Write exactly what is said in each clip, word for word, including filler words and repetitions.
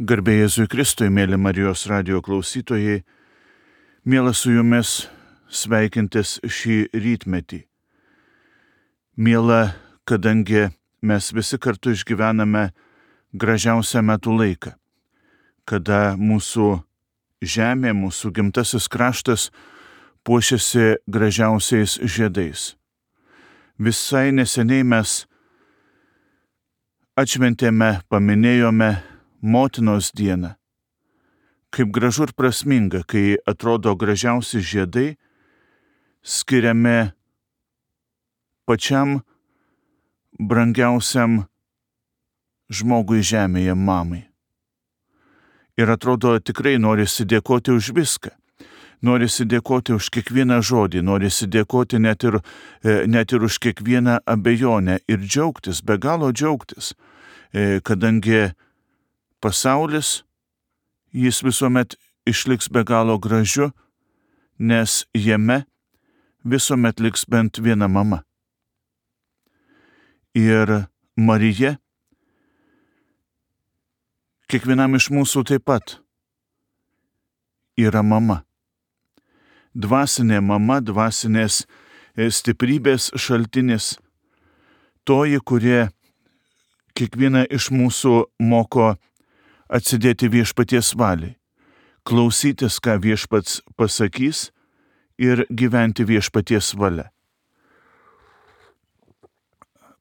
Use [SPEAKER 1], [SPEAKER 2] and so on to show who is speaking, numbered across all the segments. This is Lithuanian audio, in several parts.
[SPEAKER 1] Garbė Jėzui Kristui, mėly Marijos radijo klausytojai, mielas su jumis sveikintis šį rytmetį. Miela, kadangi mes visi kartu išgyvename gražiausią metų laiką, kada mūsų žemė, mūsų gimtasis kraštas puošiasi gražiausiais žiedais. Visai neseniai mes atšventėme, paminėjome Motinos dieną. Kaip gražu ir prasminga, kai atrodo gražiausi žiedai skiriami pačiam brangiausiam žmogui žemėje, mamai. Ir atrodo tikrai norisi dėkoti už viską. Norisi dėkoti už kiekvieną žodį, norisi dėkoti net ir, net ir už kiekvieną abejonę ir džiaugtis, be galo džiaugtis, kadangi pasaulis, jis visuomet išliks be galo gražiu, nes jame visuomet liks bent viena mama. Ir Marija kiekvienam iš mūsų taip pat yra mama. Dvasinė mama, dvasinės stiprybės šaltinis, toji, kurie kiekvieną iš mūsų moko atsidėti viešpaties valiai, klausytis, ką viešpats pasakys ir gyventi viešpaties valia.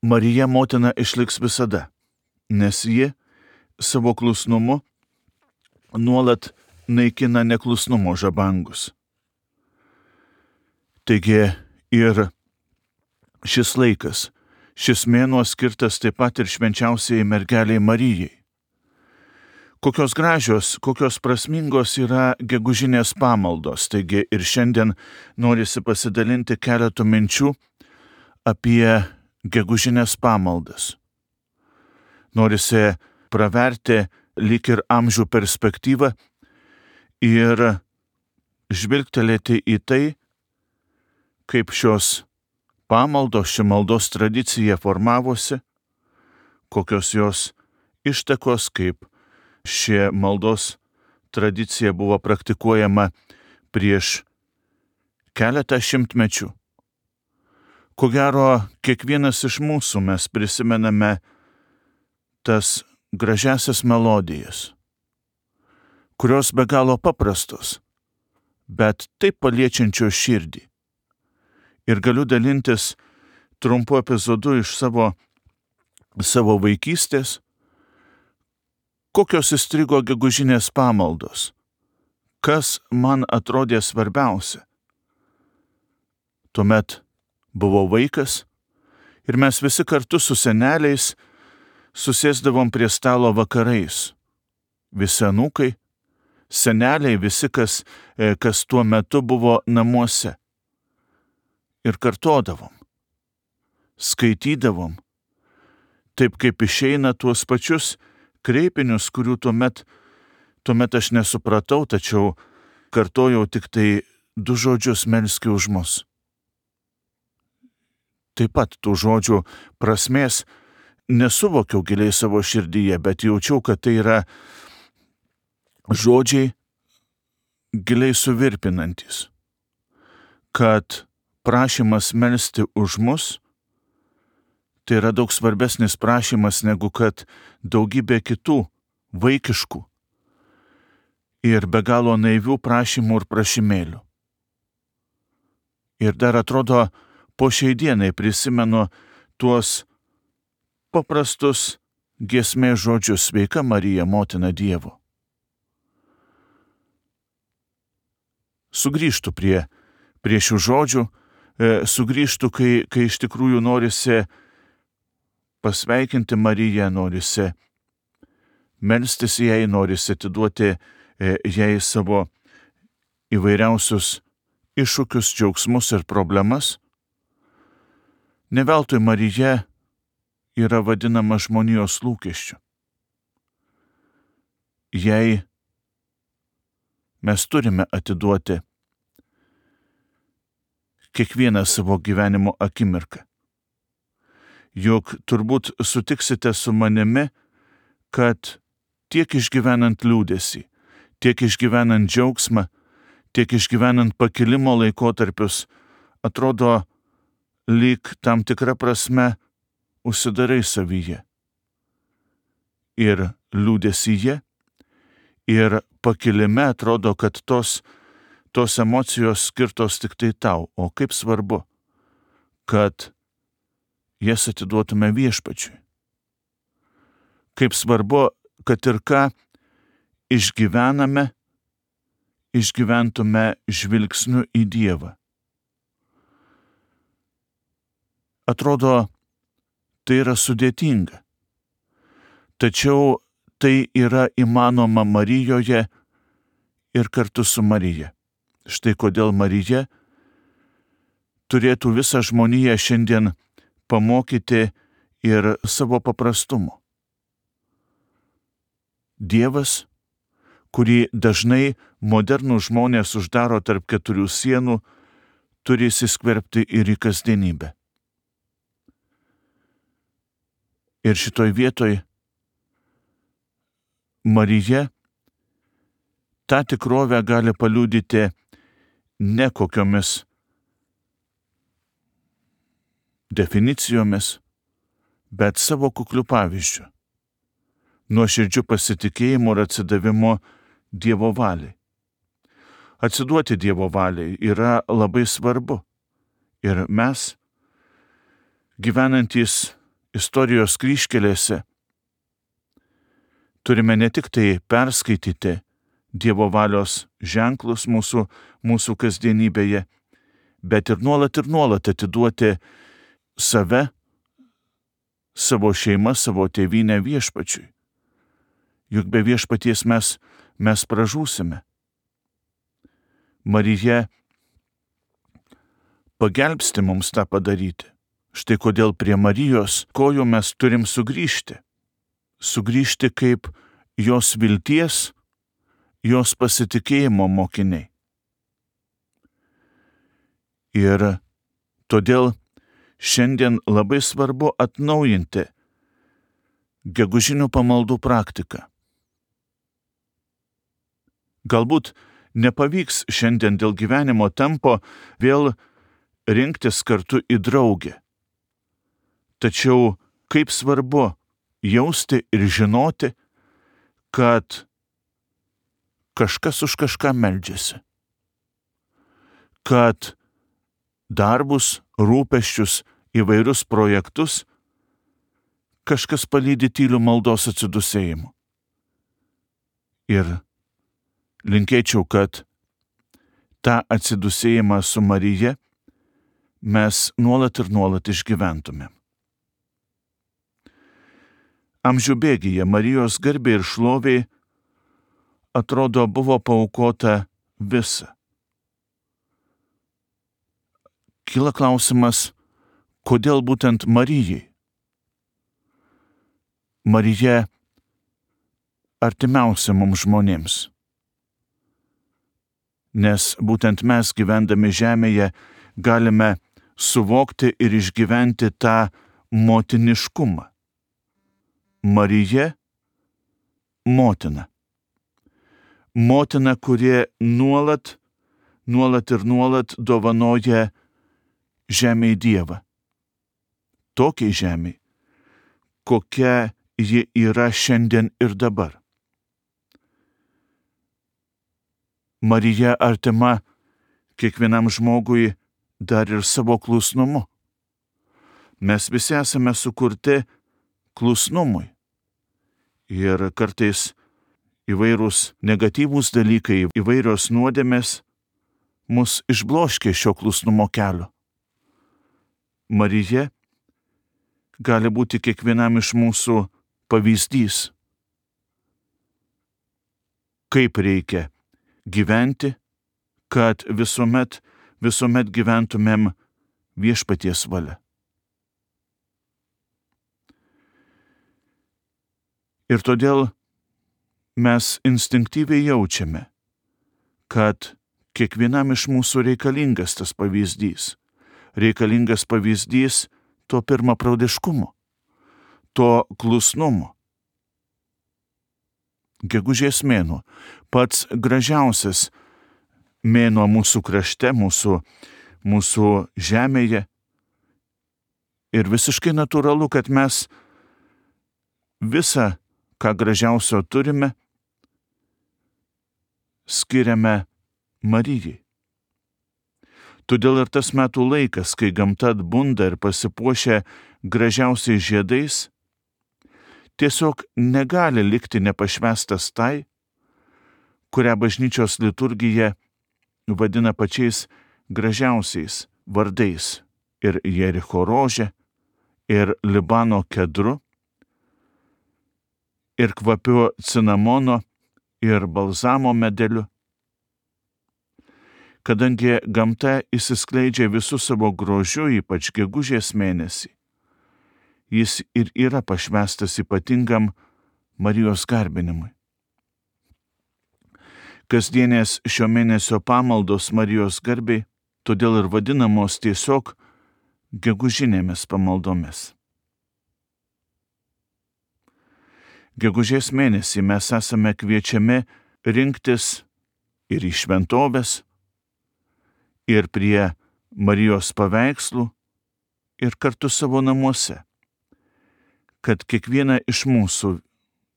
[SPEAKER 1] Marija motina išliks visada, nes ji savo klusnumu nuolat naikina neklusnumo žabangus. Taigi ir šis laikas, šis mėnuo skirtas taip pat ir švenčiausiai mergeliai Marijai. Kokios gražios, kokios prasmingos yra gegužinės pamaldos, taigi ir šiandien norisi pasidalinti keletų minčių apie gegužinės pamaldas. Norisi praverti lyg ir amžių perspektyvą ir žvilgtelėti į tai, kaip šios pamaldos, ši maldos tradicija formavosi, kokios jos ištakos, kaip ši maldos tradicija buvo praktikuojama prieš keletą šimtmečių. Ko gero, kiekvienas iš mūsų mes prisimename tas gražiasias melodijas, kurios be galo paprastos, bet taip paliečiančios širdį. Ir galiu dalintis trumpu epizodu iš savo, savo vaikystės, kokios įstrigo gegužinės pamaldos, kas man atrodė svarbiausia. Tuomet buvau vaikas ir mes visi kartu su seneliais susėsdavom prie stalo vakarais. Visi anūkai, seneliai, visi, kas, kas tuo metu buvo namuose. Ir kartodavom, skaitydavom, taip kaip išeina tuos pačius kreipinius, kurių tuomet, tuomet aš nesupratau, tačiau kartojau tik tai du žodžius: melski už mus. Taip pat tų žodžių prasmės nesuvokiau giliai savo širdyje, bet jaučiau, kad tai yra žodžiai giliai suvirpinantis, kad prašymas melsti už mus tai yra daug svarbesnis prašymas negu kad daugybė kitų vaikiškų ir be galo naivių prašymų ir prašymėlių. Ir dar atrodo, po šiai dienai prisimenu tuos paprastus giesmės žodžius: sveika Marija, motina Dievo. Sugrįžtu prie, prie šių žodžių, e, sugrįžtu, kai, kai iš tikrųjų norisi pasveikinti Mariją, norisi melstis jai, norisi atiduoti jai savo įvairiausius iššūkius, džiaugsmus ir problemas. Ne veltui Marija yra vadinama žmonijos lūkesčiu. Jai mes turime atiduoti kiekvieną savo gyvenimo akimirką. Juk turbūt sutiksite su manimi, kad tiek išgyvenant liūdesį, tiek išgyvenant džiaugsmą, tiek išgyvenant pakilimo laikotarpius, atrodo, lyg tam tikra prasme užsidarai savyje. Ir liūdesyje, ir pakilime atrodo, kad tos, tos emocijos skirtos tik tai tau, o kaip svarbu, kad jas atiduotume Viešpačiui. Kaip svarbu, kad ir ką išgyvename, išgyventume žvilgsniu į Dievą. Atrodo, tai yra sudėtinga. Tačiau tai yra įmanoma Marijoje ir kartu su Marija. Štai kodėl Marija turėtų visą žmoniją šiandien pamokyti ir savo paprastumo. Dievas, kurį dažnai modernų žmonės uždaro tarp keturių sienų, turi įsiskverbti ir į kasdienybę. Ir šitoj vietoj Marija tą tikrovę gali paliudyti ne kokiomis definicijomis, bet savo kukliu pavyzdžiu, nuoširdžiu pasitikėjimu ir atsidavimu Dievo valiai. Atsiduoti Dievo valiai yra labai svarbu. Ir mes, gyvenantys istorijos kryžkelėse, turime ne tik tai perskaityti Dievo valios ženklus mūsų, mūsų kasdienybėje, bet ir nuolat ir nuolat atiduoti save, savo šeimą, savo tėvynę Viešpačiui. Juk be Viešpaties mes, mes pražūsime. Marija pagelbsti mums tą padaryti. Štai kodėl prie Marijos kojų mes turim sugrįžti. Sugrįžti kaip jos vilties, jos pasitikėjimo mokiniai. Ir todėl šiandien labai svarbu atnaujinti gegužinių pamaldų praktiką. Galbūt nepavyks šiandien dėl gyvenimo tempo vėl rinktis kartu į draugę. Tačiau kaip svarbu jausti ir žinoti, kad kažkas už kažką meldžiasi, kad darbus, rūpesčius, įvairius projektus kažkas palydi tyliu maldos atsidusėjimu. Ir linkėčiau, kad tą atsidusėjimą su Marija mes nuolat ir nuolat išgyventumėm. Amžių bėgyje Marijos garbė ir šlovė atrodo buvo paaukota visa. Kyla klausimas, kodėl būtent Marijai? Marija artimiausia mums žmonėms. Nes būtent mes gyvendami žemėje galime suvokti ir išgyventi tą motiniškumą. Marija – motina. Motina, kurie nuolat, nuolat ir nuolat dovanoja žemėj Dievą. Tokiai žemėj, kokia ji yra šiandien ir dabar. Marija artima kiekvienam žmogui dar ir savo klusnumu. Mes visi esame sukurti klusnumui. Ir kartais įvairūs negatyvūs dalykai, įvairios nuodėmės mus išbloškia šio klusnumo kelio. Marija gali būti kiekvienam iš mūsų pavyzdys, kaip reikia gyventi, kad visuomet, visuomet gyventumėm Viešpaties valia. Ir todėl mes instinktyviai jaučiame, kad kiekvienam iš mūsų reikalingas tas pavyzdys. Reikalingas pavyzdys to pirmapradiškumo, to klusnumo. Gegužės mėnuo, pats gražiausias mėnuo mūsų krašte, mūsų, mūsų žemėje. Ir visiškai natūralu, kad mes visą, ką gražiausio turime, skiriame Marijai. Todėl ir tas metų laikas, kai gamta atbunda ir pasipuošia gražiausiais žiedais, tiesiog negali likti nepašvęstas tai, kurią bažnyčios liturgija vadina pačiais gražiausiais vardais ir Jericho rožė, ir Libano kedru, ir kvapiu cinamono, ir balzamo medeliu. Kadangi gamta įsiskleidžia visų savo grožiu, ypač gegužės mėnesį, jis ir yra pašvęstas ypatingam Marijos garbinimui. Kasdienės šio mėnesio pamaldos Marijos garbei todėl ir vadinamos tiesiog gegužinėmis pamaldomis. Gegužės mėnesį mes esame kviečiami rinktis ir į šventoves, ir prie Marijos paveikslų, ir kartu savo namuose, kad kiekviena iš mūsų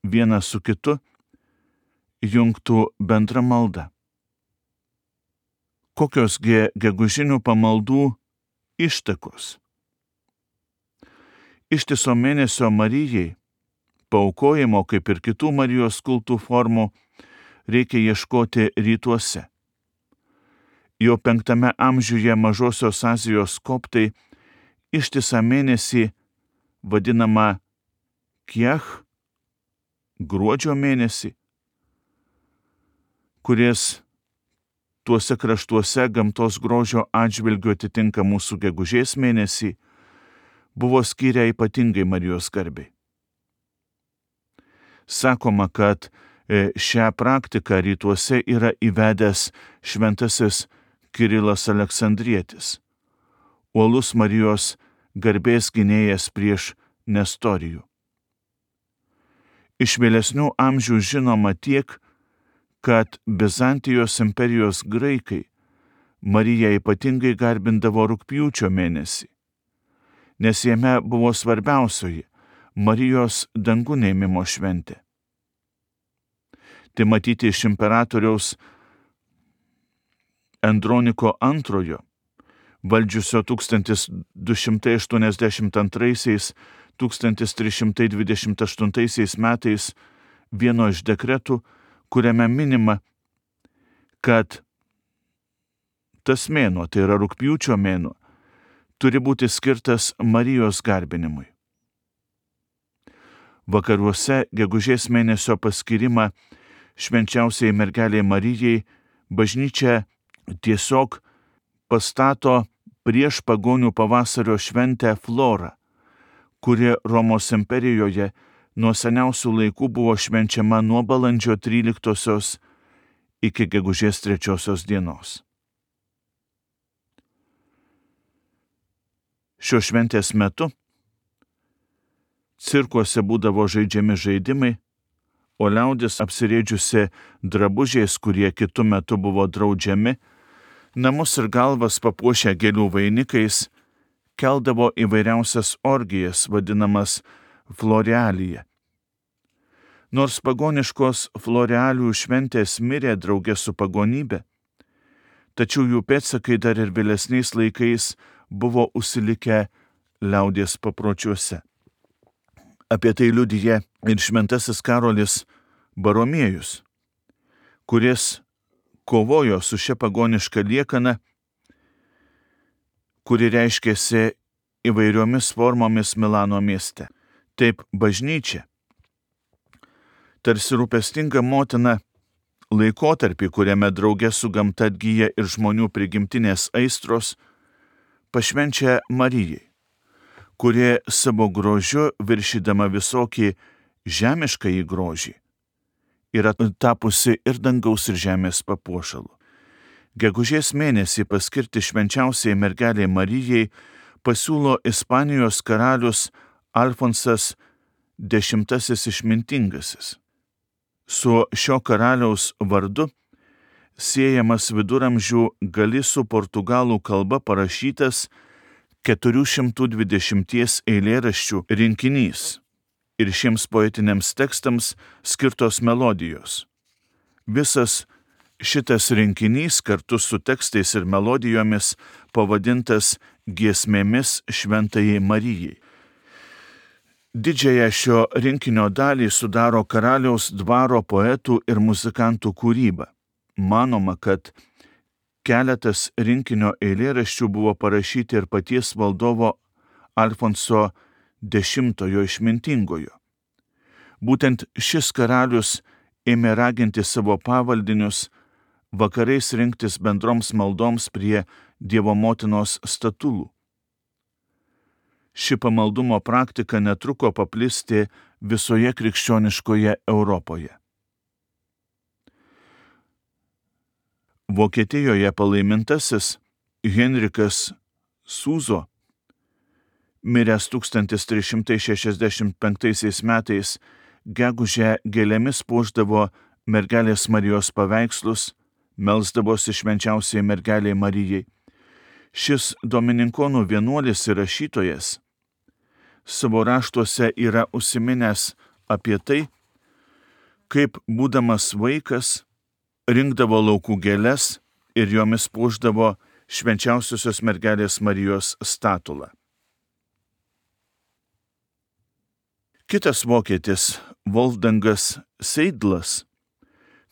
[SPEAKER 1] viena su kitu jungtų bendrą maldą. Kokiosgi gegužinių pamaldų ištakos? Ištiso mėnesio Marijai paaukojimo, kaip ir kitų Marijos kultų formų, reikia ieškoti rytuose. Jau penktame amžiuje Mažosios Azijos koptai ištisą mėnesį vadinama Kiech, gruodžio mėnesį, kuris tuose kraštuose gamtos grožio atžvilgiu atitinka mūsų gegužės mėnesį, buvo skyrę ypatingai Marijos garbei. Sakoma, kad šią praktiką rytuose yra įvedęs šventasis Kirilas Aleksandrietis, uolus Marijos garbės gynėjas prieš Nestorijų. Iš vėlesnių amžių žinoma tiek, kad Bizantijos imperijos graikai Mariją ypatingai garbindavo rugpjūčio mėnesį, nes jame buvo svarbiausioji Marijos dangun ėmimo šventė. Tai matyti iš imperatoriaus Androniko antrojo, valdžiusio tūkstantis du šimtai aštuoniasdešimt antraisiais - tūkstantis trys šimtai dvidešimt aštuntaisiais metais vieno iš dekretų, kuriame minima, kad tas mėnuo, tai yra rugpjūčio mėnuo, turi būti skirtas Marijos garbinimui. Vakaruose gegužės mėnesio paskirimą švenčiausiai mergelei Marijai bažnyčia tiesiog pastato prieš pagonių pavasario šventę Florą, kuri Romos imperijoje nuo seniausių laikų buvo švenčiama nuo balandžio tryliktosios iki gegužės trečiosios dienos. Šios šventės metu cirkuose būdavo žaidžiami žaidimai, o liaudis apsirėdžiusi drabužiais, kurie kitu metu buvo draudžiami, namus ir galvas papuošę gėlių vainikais, keldavo įvairiausias orgijas, vadinamas florealija. Nors pagoniškos florealių šventės mirė draugė su pagonybė, tačiau jų pėdsakai dar ir vėlesniais laikais buvo užsilikę liaudies papročiuose. Apie tai liudija ir šventasis Karolis Baromiejus, kuris kovojo su šia pagoniška liekana, kuri reiškėsi įvairiomis formomis Milano mieste. Taip bažnyčia, tarsi rūpestinga motina, laikotarpį, kuriame drauge su gamta atgyja ir žmonių prigimtinės aistros, pašvenčia Marijai, kuri savo grožiu, viršydama visokį žemiškąjį grožį, yra tapusi ir dangaus ir žemės papuošalu. Gegužės mėnesį paskirti švenčiausiai mergelei Marijai pasiūlo Ispanijos karalius Alfonsas X išmintingasis. Su šio karaliaus vardu siejamas viduramžių galisų portugalų kalba parašytas keturių šimtų dvidešimties eilėraščių rinkinys ir šiems poetiniams tekstams skirtos melodijos. Visas šitas rinkinys kartu su tekstais ir melodijomis pavadintas giesmėmis Šventajai Marijai. Didžiąją šio rinkinio dalį sudaro karaliaus dvaro poetų ir muzikantų kūryba. Manoma, kad keletas rinkinio eilėraščių buvo parašyti ir paties valdovo Alfonso Dešimtojo Išmintingojo. Būtent šis karalius ėmė raginti savo pavaldinius vakarais rinktis bendroms maldoms prie Dievo motinos statulų. Ši pamaldumo praktika netruko paplisti visoje krikščioniškoje Europoje. Vokietijoje palaimintasis Henrikas Sūzo, miręs tūkstantis trys šimtai šešiasdešimt penktaisiais metais, gegužę gėlėmis puošdavo mergelės Marijos paveikslus, melsdavosi švenčiausiai mergelei Marijai. Šis domininkonų vienuolis ir rašytojas savo raštuose yra užsiminęs apie tai, kaip būdamas vaikas rinkdavo laukų gėles ir jomis puošdavo švenčiausiosios mergelės Marijos statulą. Kitas vokietis, Wolfgangas Seidlas,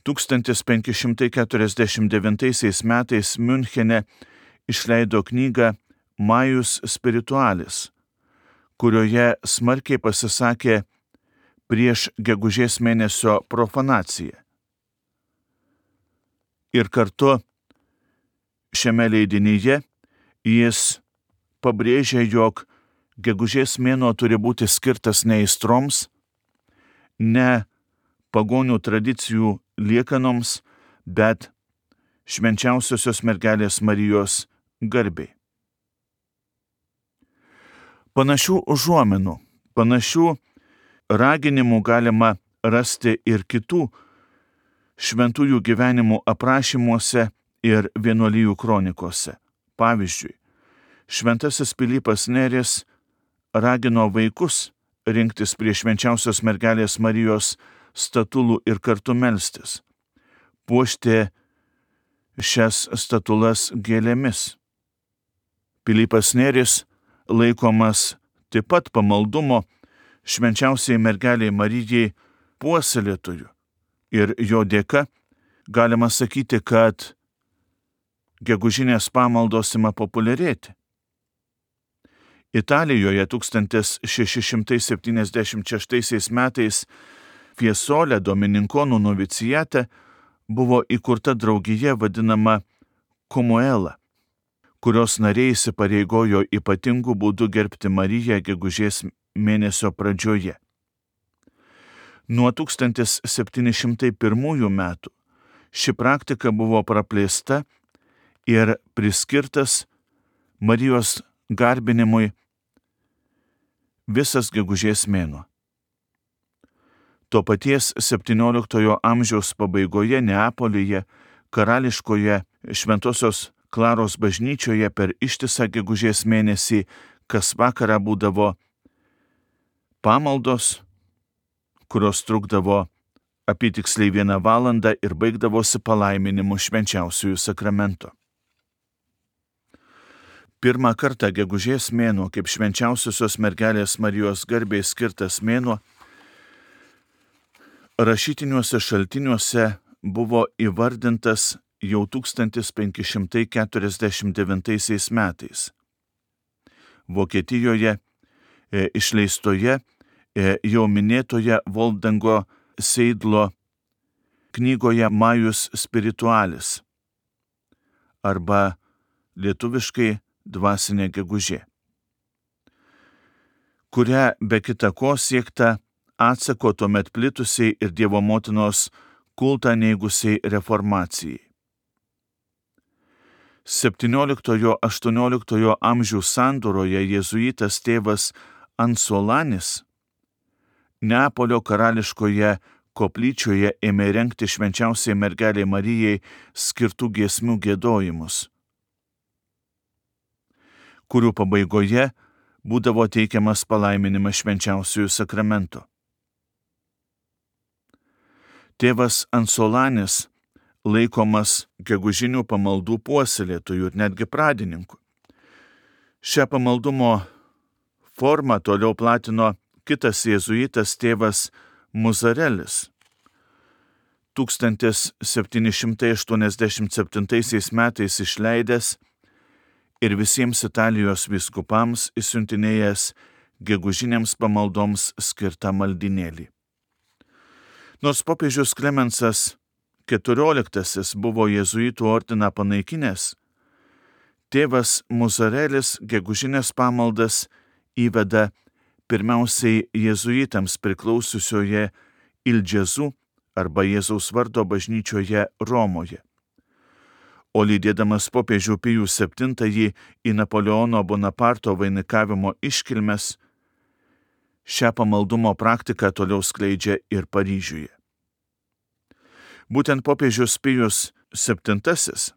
[SPEAKER 1] tūkstantis penki šimtai keturiasdešimt devintaisiais metais Miunchene išleido knygą Majus Spiritualis, kurioje smarkiai pasisakė prieš gegužės mėnesio profanaciją. Ir kartu šiame leidinyje jis pabrėžė, jog gegužės mėnuo turi būti skirtas ne aistroms, ne pagonių tradicijų liekanoms, bet švenčiausiosios mergelės Marijos garbei. Panašių užuominų, panašių raginimų galima rasti ir kitų šventųjų gyvenimų aprašymuose ir vienuolijų kronikose. Pavyzdžiui, šventasis Pilypas Neris ragino vaikus rinktis prie švenčiausios mergelės Marijos statulų ir kartu melstis, puošti šias statulas gėlėmis. Pilypas Neris laikomas taip pat pamaldumo švenčiausiai mergeliai Marijai puoselėtojų ir jo dėka galima sakyti, kad gegužinės pamaldos ima populiarėti. Italijoje tūkstantis šeši šimtai septyniasdešimt šeštaisiais metais Fiesole domininkonų novicijate buvo įkurta draugija vadinama Komuela, kurios nariai įsipareigojo ypatingų būdų gerbti Mariją gegužės mėnesio pradžioje. Nuo tūkstantis septyni šimtai pirmųjų metų ši praktika buvo praplėsta ir priskirtas Marijos garbinimui visas gegužės mėnuo. To paties septynioliktojo amžiaus pabaigoje Neapolyje, karališkoje Šventosios Klaros bažnyčioje per ištisą gegužės mėnesį kas vakarą būdavo pamaldos, kurios trukdavo apytiksliai vieną valandą ir baigdavosi palaiminimu švenčiausiųjų sakramento. Pirmą kartą gegužės mėnuo kaip švenčiausiosios mergelės Marijos garbei skirtas mėnuo rašytiniuose šaltiniuose buvo įvardintas jau tūkstantis penki šimtai keturiasdešimt devintaisiais metais. Vokietijoje e, išleistoje e, jau minėtoje Wolfgango Seidlo knygoje Majus Spiritualis arba lietuviškai Dvasinė gegužė, kuria be kita ko siekta atsako tuomet plitusiai ir Dievo motinos kultą neigusiai reformacijai. septynioliktojo aštuonioliktojo amžių sandūroje jėzuitas tėvas Ansolanis Neapolio karališkoje koplyčioje ėmė rengti švenčiausiai mergelei Marijai skirtų giesmių giedojimus, kurių pabaigoje būdavo teikiamas palaiminimas švenčiausiųjų sakramento. Tėvas Ansolanis laikomas gegužinių pamaldų puoselėtojų ir netgi pradininku. Šią pamaldumo formą toliau platino kitas jėzuitas tėvas Muzarelis. tūkstantis septyni šimtai aštuoniasdešimt septintaisiais metais išleidęs ir visiems Italijos vyskupams išsiuntinėjęs gegužinėms pamaldoms skirtą maldinėlį. Nors popiežius Klemensas keturioliktasis buvo jėzuitų ordiną panaikinęs, tėvas Muzarelis gegužinės pamaldas įveda pirmiausiai jėzuitams priklausiusioje Il Gesù arba Jėzaus vardo bažnyčioje Romoje, o lydėdamas popiežių Pijų septintąjį į Napoleono Bonaparto vainikavimo iškilmes, šią pamaldumo praktiką toliau skleidžia ir Paryžiuje. Būtent popiežius Pijus septintasis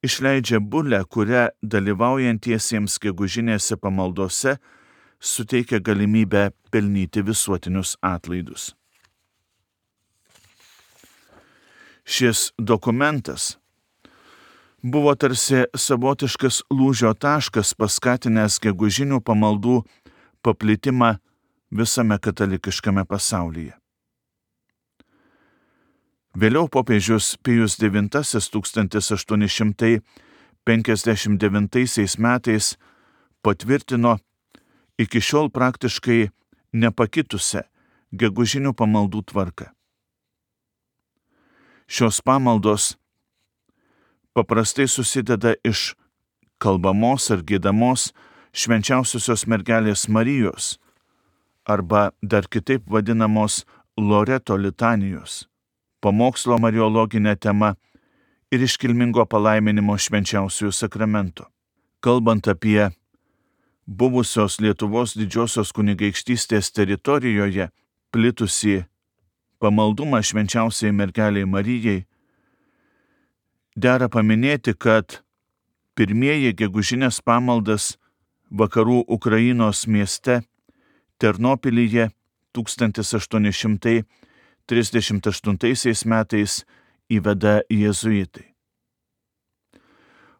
[SPEAKER 1] išleidžia bulę, kuria dalyvaujantiesiems gegužinėse pamaldose suteikia galimybę pelnyti visuotinius atlaidus. Šis dokumentas buvo tarsi savotiškas lūžio taškas paskatinęs gegužinių pamaldų paplitimą visame katalikiškame pasaulyje. Vėliau popiežius Pijus devintasis tūkstantis aštuoni šimtai penkiasdešimt devintaisiais metais patvirtino iki šiol praktiškai nepakitusią gegužinių pamaldų tvarką. Šios pamaldos paprastai susideda iš kalbamos ar giedamos švenčiausiosios mergelės Marijos arba dar kitaip vadinamos Loreto litanijos, pamokslo mariologinė tema ir iškilmingo palaiminimo švenčiausiųjų sakramento. Kalbant apie buvusios Lietuvos didžiosios kunigaikštystės teritorijoje plitusį pamaldumą švenčiausiai mergeliai Marijai, dera paminėti, kad pirmieji gegužinės pamaldas vakarų Ukrainos mieste Ternopilyje tūkstantis aštuoni šimtai trisdešimt aštuntaisiais metais įveda jėzuitai.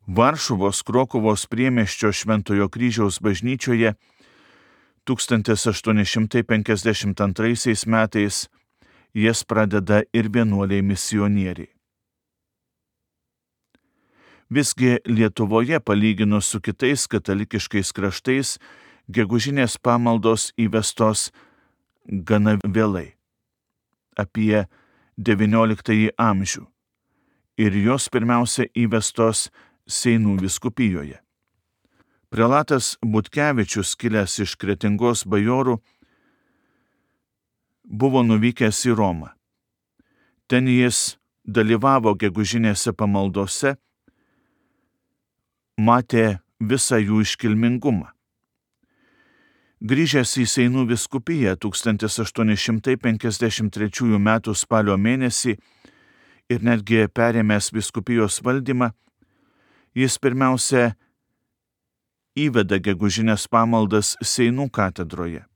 [SPEAKER 1] Varšuvos Krokuvos priemiesčio Šventojo Kryžiaus bažnyčioje tūkstantis aštuoni šimtai penkiasdešimt antraisiais metais jas pradeda ir vienuoliai misionieriai. Visgi Lietuvoje, palyginus su kitais katalikiškais kraštais, gegužinės pamaldos įvestos gana vėlai, apie devynioliktąjį amžių, ir jos pirmiausia įvestos Seinų vyskupijoje. Prelatas Butkevičius, kilęs iš Kretingos bajorų, buvo nuvykęs į Romą. Ten jis dalyvavo gegužinėse pamaldose, matė visą jų iškilmingumą. Grįžęs į Seinų vyskupiją tūkstantis aštuoni šimtai penkiasdešimt trečiųjų metų spalio mėnesį ir netgi perėmęs vyskupijos valdymą, jis pirmiausia įveda gegužinės pamaldas Seinų katedroje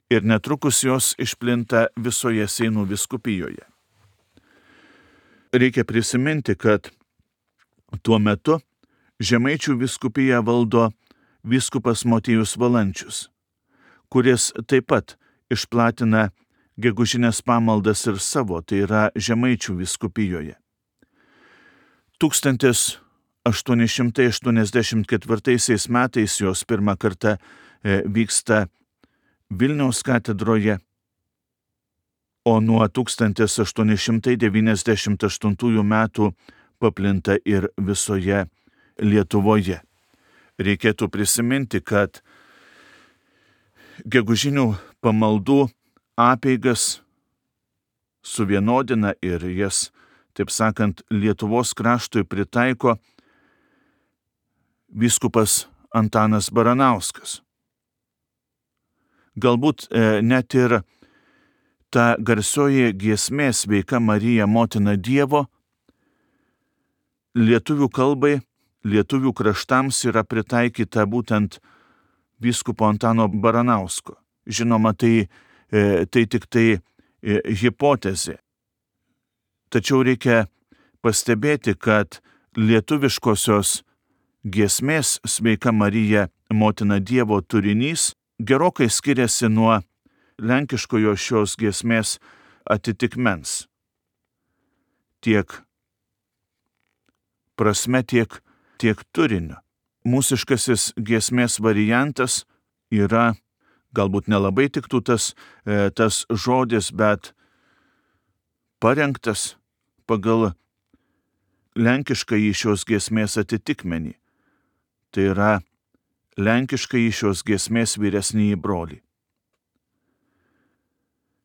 [SPEAKER 1] ir netrukus jos išplinta visoje Seinų vyskupijoje. Reikia prisiminti, kad tuo metu Žemaičių vyskupiją valdo vyskupas Motiejus Valančius, kuris taip pat išplatina gegužinės pamaldas ir savo, tai yra Žemaičių vyskupijoje. tūkstantis aštuoni šimtai aštuoniasdešimt ketvirtaisiais metais jos pirmą kartą vyksta Vilniaus katedroje, o nuo tūkstantis aštuoni šimtai devyniasdešimt aštuntųjų metų paplinta ir visoje Lietuvoje. Reikėtų prisiminti, kad gegužinių pamaldų apeigas suvienodina ir jas, taip sakant, Lietuvos kraštui pritaiko vyskupas Antanas Baranauskas. Galbūt e, net ir ta garsioji giesmė Sveika Marija, motina Dievo, lietuvių kalbai, lietuvių kraštams yra pritaikyta būtent vyskupo Antano Baranausko. Žinoma, tai, tai tik tai hipotezė. Tačiau reikia pastebėti, kad lietuviškosios giesmės Sveika Marija, motina Dievo turinys gerokai skiriasi nuo lenkiškojo šios giesmės atitikmens. Tiek prasme, tiek, tiek turiniu. Mūsiškasis giesmės variantas yra, galbūt nelabai tiktų tas, tas žodis, bet parengtas pagal lenkiškąjį šios giesmės atitikmenį. Tai yra lenkiškąjį šios giesmės vyresnįjį brolį.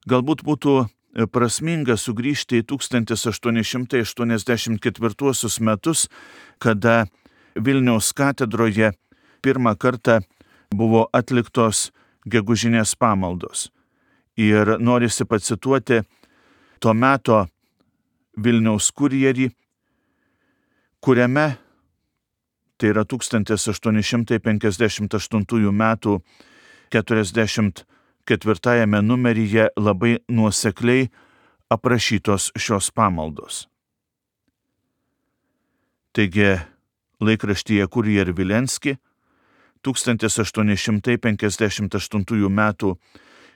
[SPEAKER 1] Galbūt būtų prasminga sugrįžti į tūkstantis aštuoni šimtai aštuoniasdešimt ketvirtuosius metus, kada Vilniaus katedroje pirmą kartą buvo atliktos gegužinės pamaldos. Ir norisi pacituoti to meto Vilniaus kurjerį, kuriame, tai yra tūkstantis aštuoni šimtai penkiasdešimt aštuntųjų metų keturiasdešimt ketvirtajame numeryje labai nuosekliai aprašytos šios pamaldos. Taigi, laikraštyje Kurjer Vilenski tūkstantis aštuoni šimtai penkiasdešimt aštuntųjų metų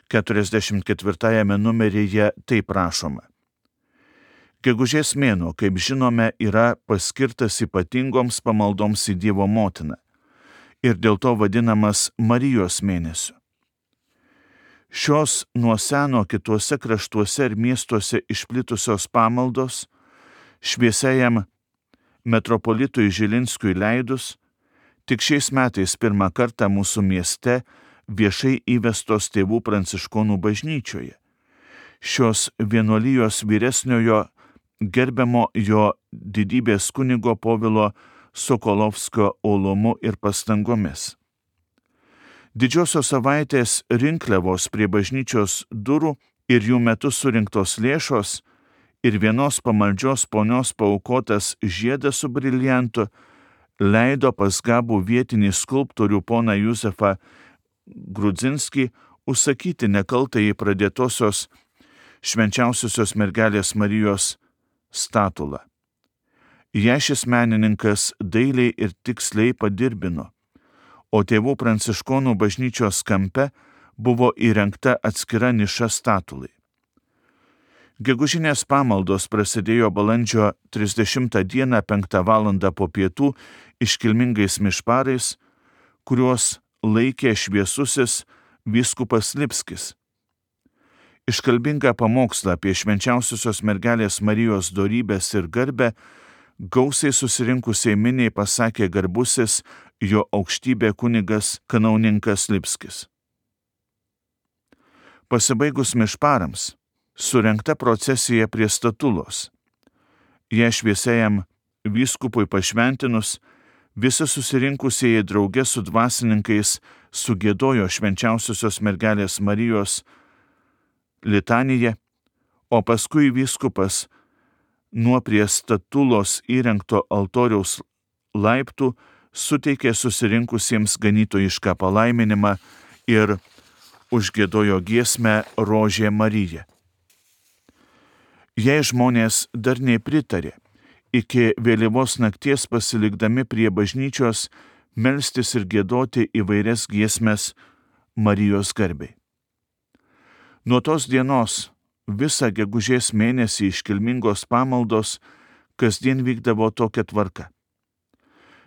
[SPEAKER 1] keturiasdešimt ketvirtajame numeryje taip rašoma. Gegužės mėnuo, kaip žinome, yra paskirtas ypatingoms pamaldoms į Dievo motiną ir dėl to vadinamas Marijos mėnesiu. Šios nuo seno kituose kraštuose ir miestuose išplitusios pamaldos šviesiajam metropolitui Žilinskiui leidus, tik šiais metais pirmą kartą mūsų mieste viešai įvestos tėvų pranciškonų bažnyčioje. Šios vienuolijos vyresniojo gerbiamo jo didybės kunigo Povilo Sokolovskio uolumu ir pastangomis. Didžiosios savaitės rinkliavos prie bažnyčios durų ir jų metu surinktos lėšos ir vienos pamaldžios ponios paaukotas žiedas su briliantu leido pas gabų vietinį skulptorių poną Juzefą Grudzinskį užsakyti nekaltajai pradėtosios švenčiausiosios mergelės Marijos statulą. Ją šis menininkas dailiai ir tiksliai padirbino, o tėvų pranciškonų bažnyčios kampe buvo įrengta atskira niša statulai. Gegužinės pamaldos prasidėjo balandžio trisdešimtą dieną penktą valandą po pietų iškilmingais mišparais, kuriuos laikė šviesusis vyskupas Lipskis. Iškalbingą pamokslą apie švenčiausiosios mergelės Marijos dorybės ir garbę gausiai susirinkusiai miniai pasakė garbusis jo aukštybė kunigas kanauninkas Lipskis. Pasibaigus mišparams, surengta procesija prie statulos. Ją šviesiajam vyskupui pašventinus, visi susirinkusieji drauge su dvasininkais sugiedojo švenčiausiosios mergelės Marijos litaniją, o paskui vyskupas nuo prie statulos įrengto altoriaus laiptų suteikė susirinkusiems ganytojišką palaiminimą ir užgiedojo giesmę Rožė Marija. Jei žmonės dar nepritarė, iki vėlyvos nakties pasilikdami prie bažnyčios melstis ir giedoti įvairias giesmes Marijos garbei. Nuo tos dienos visą gegužės mėnesį iškilmingos pamaldos kasdien vykdavo tokia tvarka.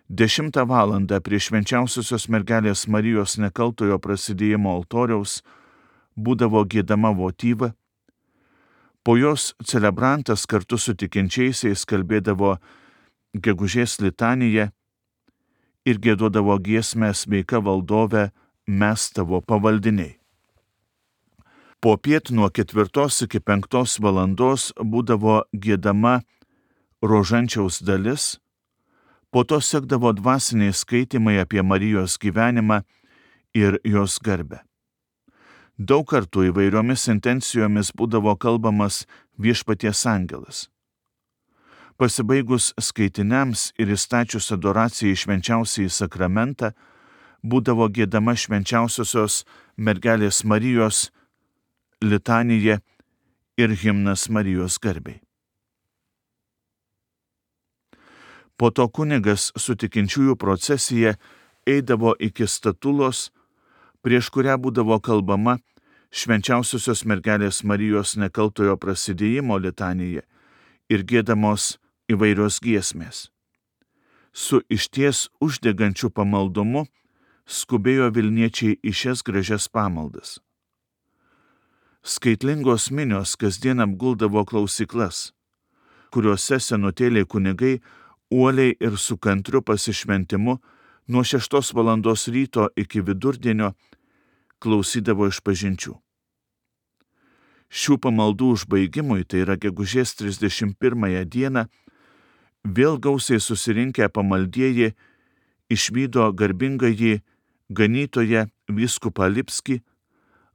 [SPEAKER 1] Dešimtą valandą prie švenčiausiosios mergelės Marijos nekaltojo prasidėjimo altoriaus būdavo giedama votyva, po jos celebrantas kartu su tikinčiaisiais kalbėdavo gegužės litaniją ir giedodavo giesmę Sveika valdove, mes tavo pavaldiniai. Popiet nuo ketvirtos iki penktos valandos būdavo giedama rožančiaus dalis, po to sekdavo dvasiniai skaitymai apie Marijos gyvenimą ir jos garbę. Daug kartų įvairiomis intencijomis būdavo kalbamas viešpaties angelas. Pasibaigus skaitiniams ir įstačius adoracijai švenčiausiai sakramentą, būdavo giedama švenčiausiosios mergelės Marijos litanija ir himnas Marijos garbei. Po to kunigas su tikinčiųjų procesija eidavo iki statulos, prieš kurią būdavo kalbama švenčiausiosios mergelės Marijos nekaltojo prasidėjimo litanija ir giedamos įvairios giesmės. Su išties uždegančiu pamaldumu skubėjo Vilniečiai į šias gražias pamaldas. Skaitlingos minios kasdien apguldavo klausyklas, kuriuose senutėliai kunigai uoliai ir su kantriu pasišventimu nuo šeštos valandos ryto iki vidurdienio klausydavo išpažinčių. Šių pamaldų užbaigimui, tai yra gegužės trisdešimt pirmąją dieną, vėl gausiai susirinkę pamaldieji išvydo garbingąjį ganytoją vyskupą Lipskį,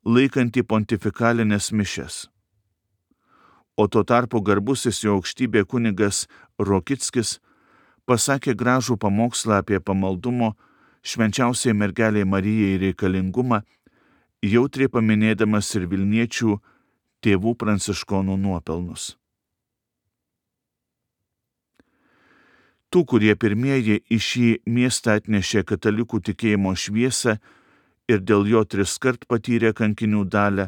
[SPEAKER 1] laikantį pontifikalinės mišias. O tuo tarpu garbusis jo aukštybė kunigas Rokickis pasakė gražų pamokslą apie pamaldumo švenčiausiai mergelei Marijai reikalingumą, jautriai paminėdamas ir Vilniečių tėvų pranciškonų nuopelnus. Tų, kurie pirmieji į šį miestą atnešė katalikų tikėjimo šviesą ir dėl jo triskart patyrė kankinių dalią,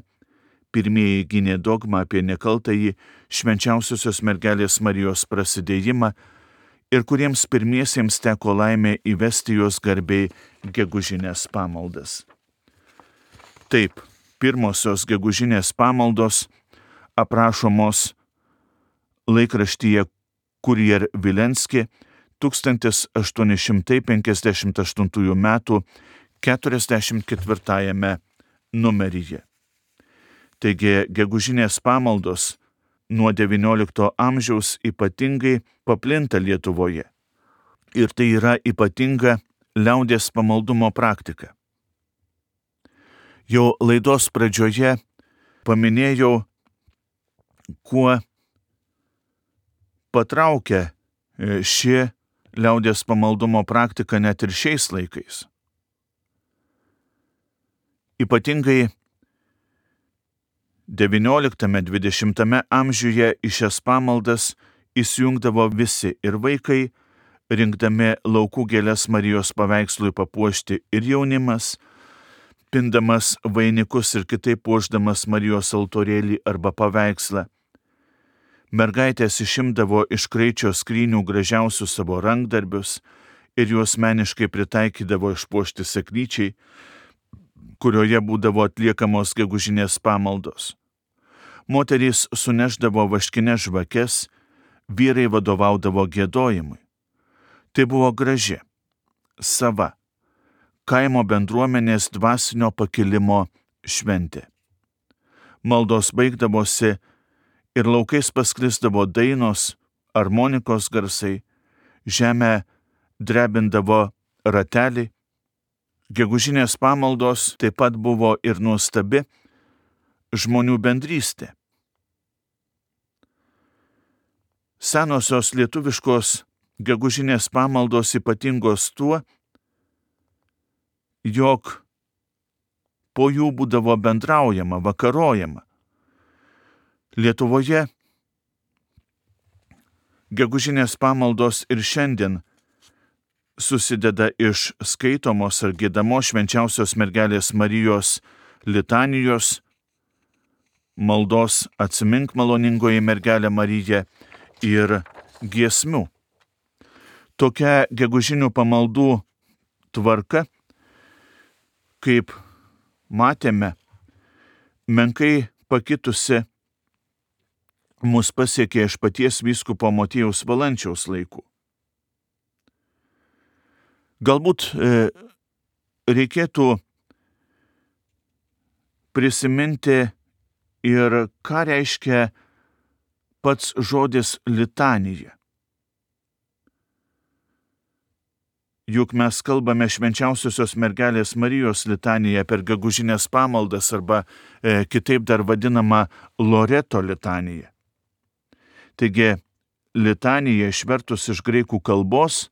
[SPEAKER 1] pirmieji gynė dogmą apie nekaltąjį švenčiausiosios mergelės Marijos prasidėjimą ir kuriems pirmiesiems teko laimė įvesti jos garbei gegužinės pamaldas. Taip, pirmosios gegužinės pamaldos aprašomos laikraštyje Kurier Vilenski tūkstantis aštuoni šimtai penkiasdešimt aštuntųjų metų keturiasdešimt ketvirtajame numeryje. Taigi gegužinės pamaldos nuo devyniolikto amžiaus ypatingai paplinta Lietuvoje. Ir tai yra ypatinga liaudies pamaldumo praktika. Jau laidos pradžioje paminėjau, kuo patraukia ši liaudies pamaldumo praktika net ir šiais laikais. Ypatingai devynioliktame dvidešimtame amžiuje į šias pamaldas įsijungdavo visi ir vaikai, rinkdami laukų gėles Marijos paveikslui papuošti, ir jaunimas, pindamas vainikus ir kitaip puošdamas Marijos altorėlį arba paveikslą. Mergaitės išimdavo iš kraičio skrynių gražiausius savo rankdarbius ir juos meniškai pritaikydavo išpuošti seklyčiai, kurioje būdavo atliekamos gegužinės pamaldos. Moterys suneždavo vaškines žvakes, vyrai vadovaudavo giedojimui. Tai buvo graži, sava, kaimo bendruomenės dvasinio pakilimo šventė. Maldos baigdavosi ir laukais pasklisdavo dainos, armonikos garsai, žemę drebindavo ratelį. Gegužinės pamaldos taip pat buvo ir nuostabi žmonių bendrystė. Senosios lietuviškos gegužinės pamaldos ypatingos tuo, jog po jų būdavo bendraujama, vakarojama. Lietuvoje gegužinės pamaldos ir šiandien susideda iš skaitomos ar giedamos švenčiausios mergelės Marijos litanijos, maldos Atsimink maloningoji mergelė Marija ir giesmių. Tokia gegužinių pamaldų tvarka, kaip matėme, menkai pakitusi mus pasiekė iš paties vyskupo Motiejaus Valančiaus laikų. Galbūt e, reikėtų prisiminti ir ką reiškia pats žodis litanija. juk mes kalbame švenčiausiosios mergelės Marijos litaniją per gegužinės pamaldas arba e, kitaip dar vadinama Loreto litanija. Taigi, litanija išvertus iš graikų kalbos,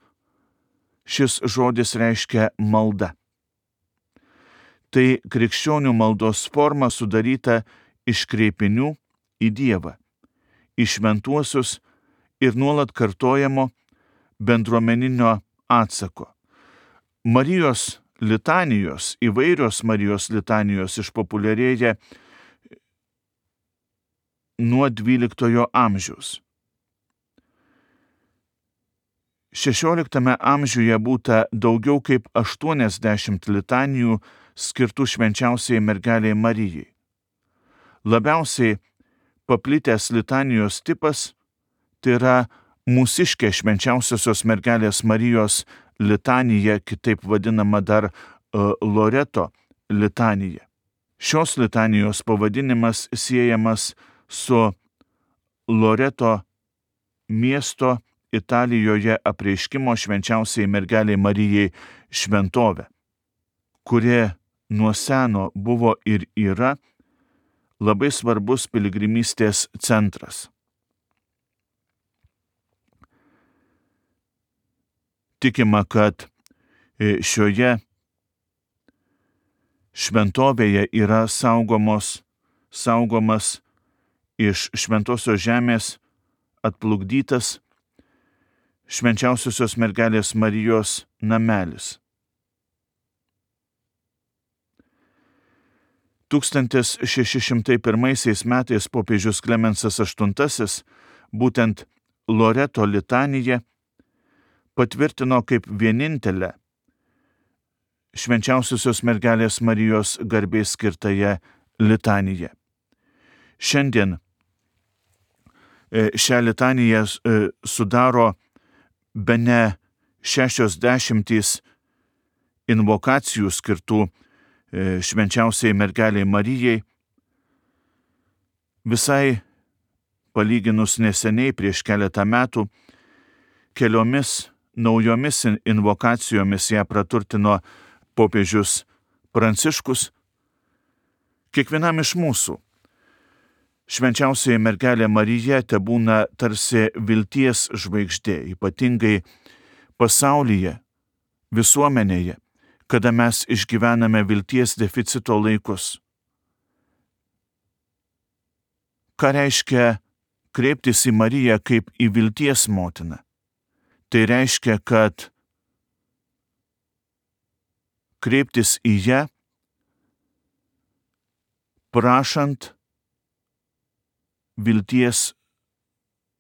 [SPEAKER 1] šis žodis reiškia malda. Tai krikščionių maldos forma sudaryta iš kreipinių į Dievą, į šventuosius ir nuolat kartojamo bendruomeninio atsako. Marijos litanijos, įvairios Marijos litanijos išpopuliarėja nuo dvyliktojo amžiaus. šešioliktame amžiuje būta daugiau kaip aštuoniasdešimt litanijų skirtų švenčiausiai mergelei Marijai. Labiausiai paplitęs litanijos tipas tai yra mūsiškė švenčiausiosios mergelės Marijos litanija, kitaip vadinama dar uh, Loreto litanija. Šios litanijos pavadinimas siejamas su Loreto miesto Italijoje apreiškimo švenčiausiai mergeliai Marijai šventovė, kuri nuo seno buvo ir yra labai svarbus piligrimystės centras. Tikima, kad šioje šventovėje yra saugomos, saugomas iš šventosios žemės atplukdytas švenčiausiosios mergelės Marijos namelis. tūkstantis šeši šimtai pirmaisiais metais popiežius Klemensas aštuntasis būtent Loreto litaniją patvirtino kaip vienintelę švenčiausiosios mergelės Marijos garbei skirtąją litaniją. Šiandien šią litaniją sudaro bene šešios dešimtys invokacijų skirtų švenčiausiai mergeliai Marijai. Visai palyginus neseniai prieš keletą metų keliomis naujomis invokacijomis ją praturtino popiežius Pranciškus. Kiekvienam iš mūsų švenčiausiai mergelė Marija tebūna tarsi vilties žvaigždė, ypatingai pasaulyje, visuomenėje, kada mes išgyvename vilties deficito laikus. Ką reiškia kreiptis į Mariją kaip į vilties motiną? Tai reiškia, kad kreiptis į ją, prašant vilties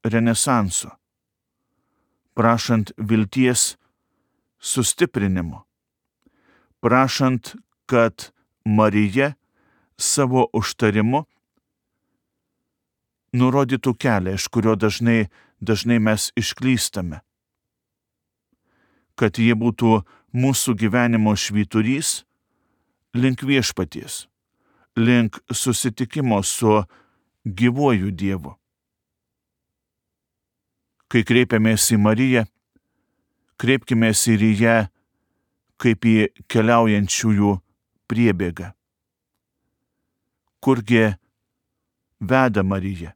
[SPEAKER 1] renesanso, prašant vilties sustiprinimo, prašant, kad Marija savo užtarimu nurodytų kelią, iš kurio dažnai, dažnai mes išklystame, kad jie būtų mūsų gyvenimo švyturys link viešpaties, link susitikimo su gyvuoju Dievu. Kai kreipiamės į Mariją, kreipkimės ir į ją kaip į keliaujančiųjų priebėgą. Kurgi veda Marija?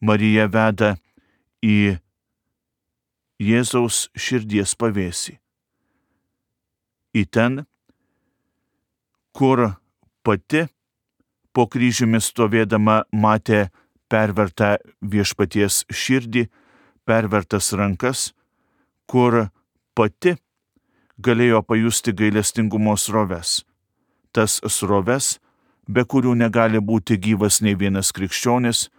[SPEAKER 1] Marija veda į Jėzaus širdies pavėsį. Į ten, kur pati po kryžiumi stovėdama matė pervertą viešpaties širdį, pervertas rankas, kur pati galėjo pajusti gailestingumo sroves. Tas sroves, be kurių negali būti gyvas nei vienas krikščionis,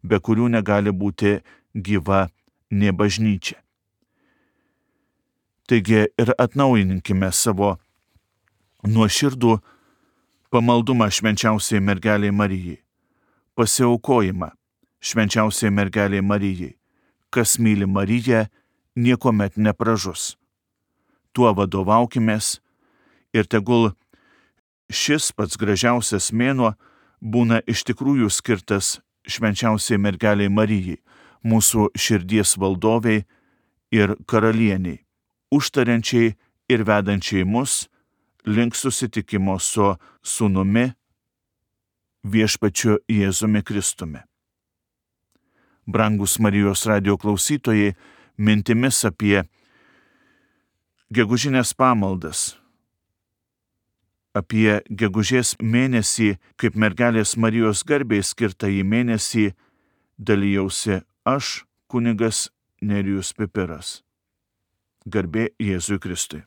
[SPEAKER 1] be kurių negali būti gyva nė bažnyčia. Taigi ir atnaujinkime savo nuoširdų pamaldumą švenčiausiai mergeliai Marijai, pasiaukojimą švenčiausiai mergeliai Marijai. Kas myli Mariją, niekuomet nepražus. Tuo vadovaukimės ir tegul šis pats gražiausias mėnuo būna iš tikrųjų skirtas švenčiausiai mergeliai Marijai, mūsų širdies valdoviai ir karalieniai, užtariančiai ir vedančiai mus link susitikimo su Sūnumi, Viešpačiu Jėzumi Kristumi. Brangus Marijos radijo klausytojai, mintimis apie gegužinės pamaldas, apie gegužės mėnesį, kaip mergelės Marijos garbei skirtąjį mėnesį, dalijausi aš, kunigas Nerijus Pipiras. Garbė Jėzui Kristui.